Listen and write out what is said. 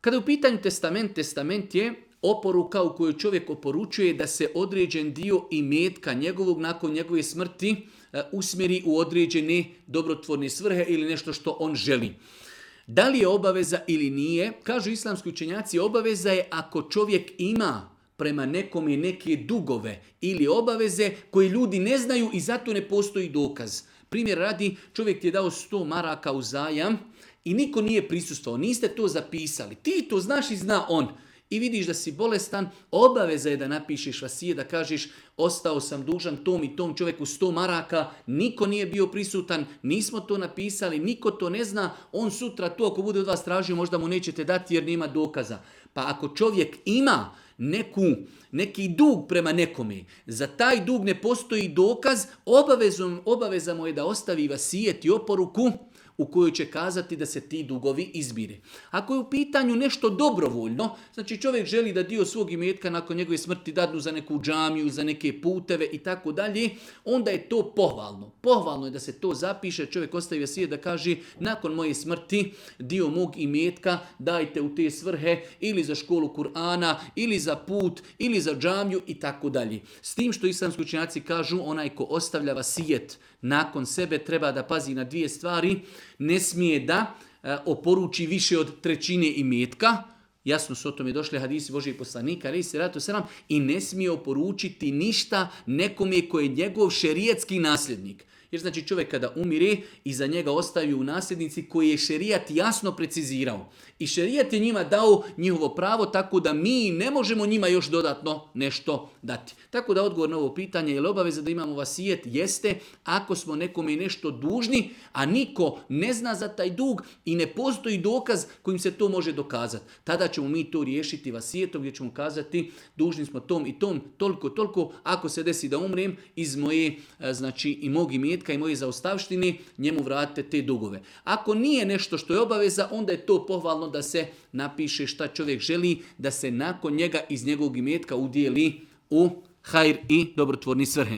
Kada je u pitanju testament je oporuka u kojoj čovjek oporučuje da se određen dio imetka njegovog nakon njegove smrti usmjeri u određene dobrotvorne svrhe ili nešto što on želi. Da li je obaveza ili nije? Kažu islamski učenjaci, obaveza je ako čovjek ima prema nekome neke dugove ili obaveze koje ljudi ne znaju i zato ne postoji dokaz. Primjer radi, čovjek ti je dao 100 maraka u zajam i niko nije prisustvovao, niste to zapisali. Ti to znaš i zna on. I vidiš da si bolestan, obaveza je da napišeš vasije, da kažeš ostao sam dužan tom i tom čovjeku 100 maraka, niko nije bio prisutan, nismo to napisali, niko to ne zna, on sutra to ako bude od vas tražio možda mu nećete dati jer nema dokaza. Pa ako čovjek ima neki dug prema nekome, za taj dug ne postoji dokaz, obaveza mu je da ostavi vasijet i oporuku u kojoj će kazati da se ti dugovi izmire. Ako je u pitanju nešto dobrovoljno, znači čovjek želi da dio svog imetka nakon njegove smrti dadnu za neku džamiju, za neke puteve i tako dalje, onda je to pohvalno. Pohvalno je da se to zapiše, čovjek ostavi vasijet da kaže nakon moje smrti dio mog imetka dajte u te svrhe ili za školu Kur'ana, ili za put, ili za džamiju i tako dalje. S tim što islamski učenjaci kažu onaj ko ostavlja vasijet nakon sebe treba da pazi na dvije stvari. Ne smije da oporuči više od trećine imetka. Jasno su o tome došli hadisi Božijeg poslanika, i ne smije oporučiti ništa nekome koji je njegov šerijetski nasljednik. Jer znači čovjek kada umire, iza njega ostaju nasljednici koji je šerijat jasno precizirao. I šerijat je njima dao njihovo pravo, tako da mi ne možemo njima još dodatno nešto dati. Tako da odgovor na ovo pitanje, je li obaveza da imamo vasijet? Jeste, ako smo nekome nešto dužni, a niko ne zna za taj dug i ne postoji dokaz kojim se to može dokazati. Tada ćemo mi to riješiti vasijetom gdje ćemo kazati dužni smo tom i tom, toliko, ako se desi da umrem iz moje, znači i mog imetka i moje zaostavštine, njemu vratite te dugove. Ako nije nešto što je obaveza, onda je to pohvalno da se napiše šta čovjek želi, da se nakon njega iz njegovog imetka udijeli u hajr i dobrotvorni svrhe.